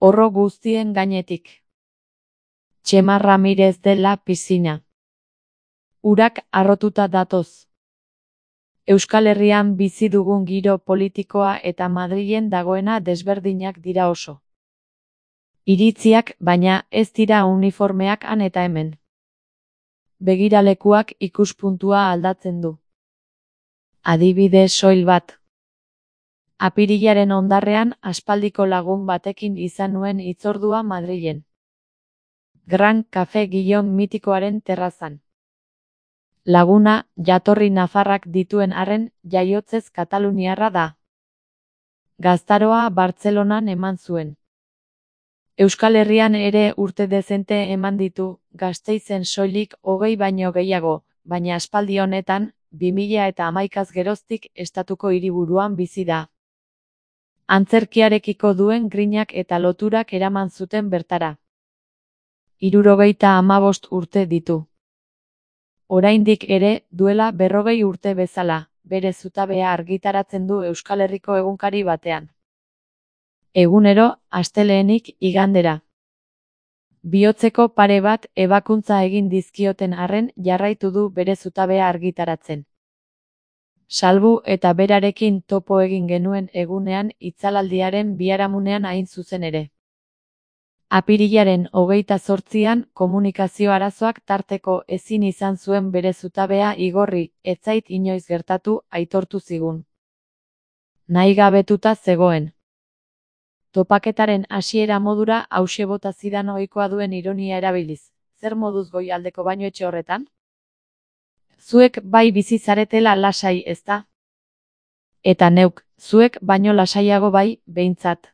Horro guztien gainetik. Txema Ramirez dela pisina. Urak harrotuta datoz. Euskal Herrian bizi dugun giro politikoa eta Madrilen dagoena desberdinak dira oso. Iritziak, baina, ez dira uniformeak han eta hemen. Begiralekuak ikuspuntua aldatzen du. Adibide soil bat. Apirilaren hondarrean aspaldiko lagun batekin izan nuen hitzordua Madrilen. Gran Café Guillon mitikoaren terrazan. Laguna, jatorri nafarrak dituen arren, jaiotzez kataluniarra da. Gaztaroa Bartzelonan eman zuen. Euskal Herrian ere urte dezente eman ditu, Gasteizen soilik 20 baino gehiago, baina aspaldi honetan, 2011 geroztik estatuko hiriburuan bizi da. Antzerkiarekiko duen grinak eta loturak eraman zuten bertara. 75 urte ditu. Oraindik ere, duela 40 urte bezala, bere zutabea argitaratzen du Euskal Herriko egunkari batean. Egunero, astelehenik igandera. Bihotzeko pare bat ebakuntza egin dizkioten arren jarraitu du bere zutabea argitaratzen. Salbu eta berarekin topo egin genuen egunean itzalaldiaren biharamunean hain zuzen ere. Apirilaren 28an komunikazio arazoak tarteko ezin izan zuen bere zutabea igorri, ez zait inoiz gertatu, aitortu zigun. Nahigabetuta zegoen. Topaketaren hasiera modura hauxe bota zidan ohikoa duen ironia erabiliz. Zer moduz goialdeko bainuetxe horretan? Zuek bai bizi zaretela lasai, ezta? Eta neuk, zuek baino lasaiago bai, behintzat.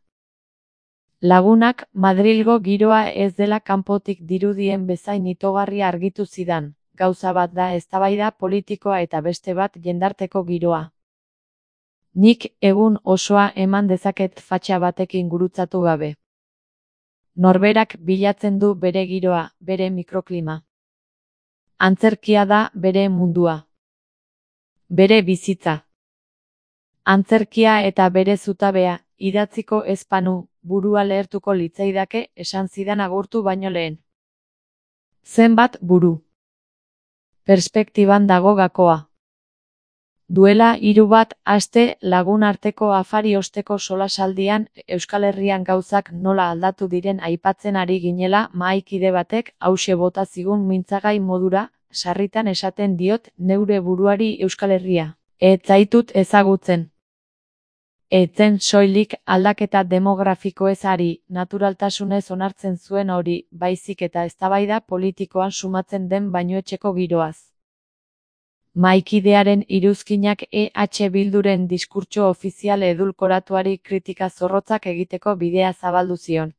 Lagunak Madrilgo giroa ez dela kanpotik dirudien bezain itogarria argitu zidan. Gauza bat da eztabaida politikoa eta beste bat jendarteko giroa. Nik egun osoa eman dezaket fatxa batekin gurutzatu gabe. Norberak bilatzen du bere giroa, bere mikroklima. Antzerkia da bere mundua. Bere bizitza. Antzerkia eta bere zutabea, idatziko ezpanu, burua lehertuko litzaidake esan zidan agurtu baino lehen. Zenbat buru. Perspektiban dago gakoa. Duela 3 aste lagun arteko afari osteko solasaldian Euskal Herrian gauzak nola aldatu diren aipatzen ari ginela mahaikide batek hauxe bota zigun mintzagai modura, sarritan esaten diot neure buruari Euskal Herria. Ez zaitut ezagutzen. Etzen soilik aldaketa demografikoez ari, naturaltasunez onartzen zuen hori, baizik eta eztabaida politikoan sumatzen den bainuetxeko giroaz. Mahaikidearen iruzkinak EH Bilduren diskurtso ofizial edulkoratuari kritika zorrotzak egiteko bidea zabaldu zion.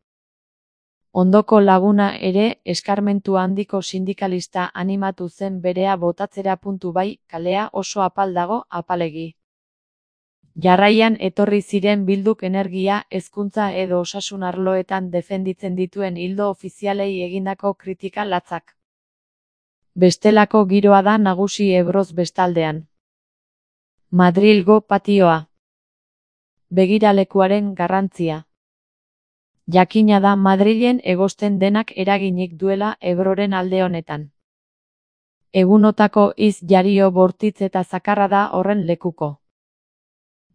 Ondoko laguna ere eskarmentu handiko sindikalista animatu zen berea botatzera. Bai, kalea oso apal dago, apalegi. Jarraian etorri ziren Bilduk energia, hezkuntza edo osasun arloetan defenditzen dituen ildo ofizialei egindako kritika latzak. Bestelako giroa da nagusi Ebroz bestaldean. Madrilgo patioa. Begiralekuaren garrantzia. Jakina da Madrilen egosten denak eraginik duela Ebroren alde honetan. Egunotako jario bortitz eta zakarra da horren lekuko.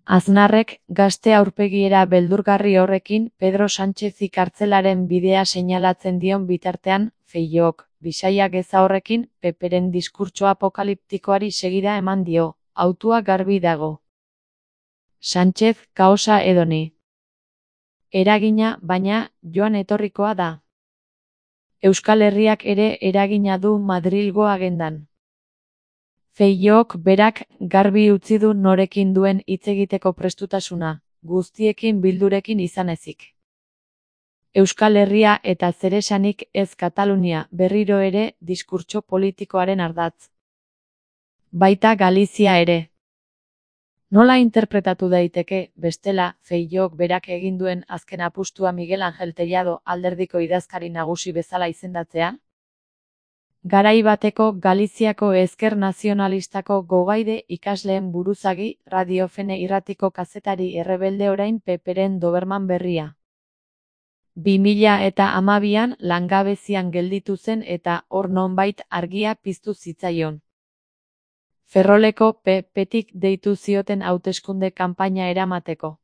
Aznarrek gazte aurpegiera beldurgarri horrekin Pedro Sánchezi kartzelaren bidea seinalatzen dion bitartean, Feijóok, bisaia geza horrekin, Peperen diskurtso apokaliptikoari segida eman dio, hautua garbi dago. Sánchez kaosa edoni. Eragina, baina, joan etorrikoa da. Euskal Herriak ere eragina du Madrilgo agendan. Feijóok berak garbi utzi du norekin duen hitz egiteko prestutasuna, guztiekin Bildurekin izan ezik. Euskal Herria eta zeresanik ez Katalunia berriro ere diskurtso politikoaren ardatz. Baita Galizia ere. Nola interpretatu daiteke, bestela, Feijóok berak egin duen azken apustua Miguel Ángel Tellado alderdiko idazkari nagusi bezala izendatzea? Garai bateko Galiziako ezker nazionalistako gogaide ikasleen buruzagi, Radiofene irratiko kazetari errebelde orain Peperen Doberman berria. 2012an langabezian gelditu zen eta hor nonbait argia piztu zitzaion. Ferroleko PP-tik deitu zioten hauteskunde kanpaina eramateko.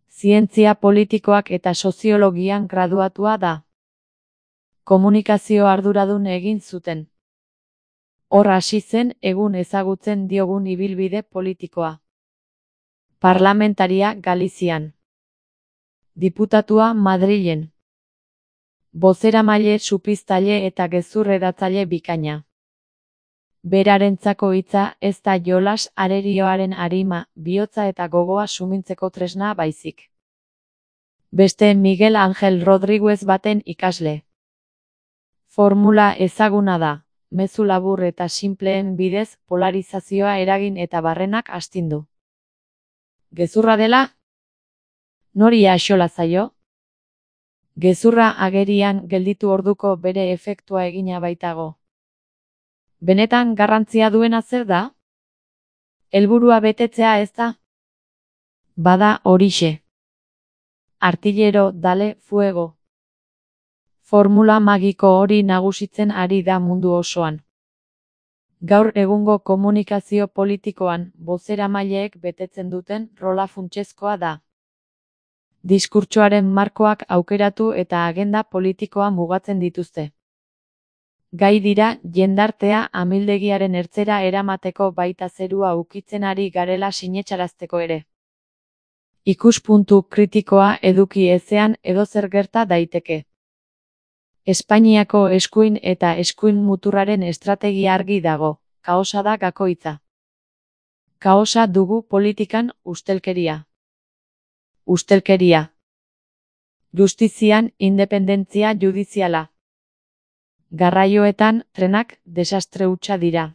Zientzia politikoak eta soziologian graduatua da. Komunikazio arduradun egin zuten. Hor hasi zen egun ezagutzen diogun ibilbide politikoa. Parlamentaria Galizian. Diputatua Madrilen. Bozeramaile supiztaile eta gezurredatzaile bikaina. Berarentzako hitza ez da jolas arerioaren arima, bihotza eta gogoa sumintzeko tresna baizik. Beste Miguel Ángel Rodríguez baten ikasle. Formula ezaguna da, mezu labur eta sinpleen bidez polarizazioa eragin eta barrenak astindu. Gezurra dela? Nori axola zaio? Gezurra agerian gelditu orduko bere efektua egina baitago. Benetan garrantzia duena zer da? Helburua betetzea ez da? Bada horixe. Artillero dale fuego. Formula magiko hori nagusitzen ari da mundu osoan. Gaur egungo komunikazio politikoan bozeramaileek betetzen duten rola funtsezkoa da. Diskurtsoaren markoak aukeratu eta agenda politikoa mugatzen dituzte. Gai dira jendartea amildegiaren ertzera eramateko baita zerua ukitzen ari garela sinetsarazteko ere. Ikuspuntu kritikoa eduki ezean edozer gerta daiteke. Espainiako eskuin eta eskuin muturraren estrategia argi dago, kaosa da gakoitza. Kaosa dugu politikan ustelkeria. Ustelkeria. Justizian independentzia judiziala. Garraioetan trenak desastre hutsa dira.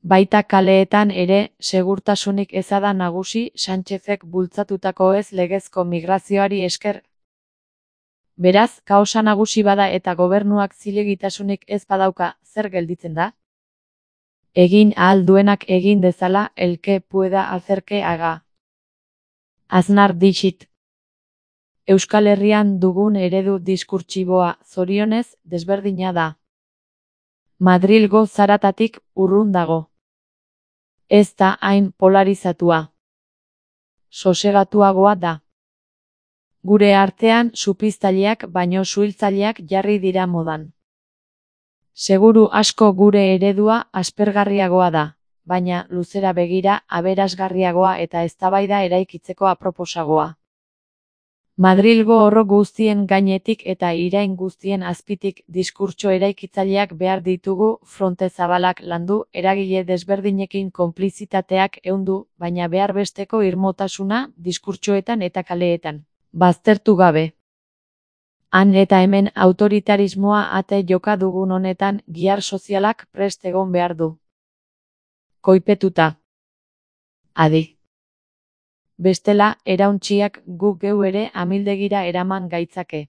Baita kaleetan ere segurtasunik eza da nagusi Sánchezek bultzatutako ez legezko migrazioari esker. Beraz, kaosa nagusi bada eta gobernuak zilegitasunik ez badauka, zer gelditzen da? Egin ahal duenak egin dezala, el que pueda hacer que haga. Aznar dixit. Euskal Herrian dugun eredu diskurtsiboa, zorionez, desberdina da. Madrilgo zaratatik urrun dago. Ez da hain polarizatua. Sosegatuagoa da. Gure artean supiztaileak baino suhiltzaileak jarri dira modan. Seguru asko gure eredua aspergarriagoa da, baina luzera begira aberasgarriagoa eta eztabaida eraikitzeko aproposagoa. Madrilgo horro guztien gainetik eta irain guztien azpitik diskurtso eraikitzaileak behar ditugu, fronte zabalak landu, eragile desberdinekin konplizitateak ehundu, baina behar besteko irmotasuna diskurtsoetan eta kaleetan. Baztertu gabe. Han eta hemen autoritarismoa ate joka dugun honetan gihar sozialak prest egon behar du. Koipetuta. Adi. Bestela, erauntziak gu geu ere amildegira eraman gaitzake.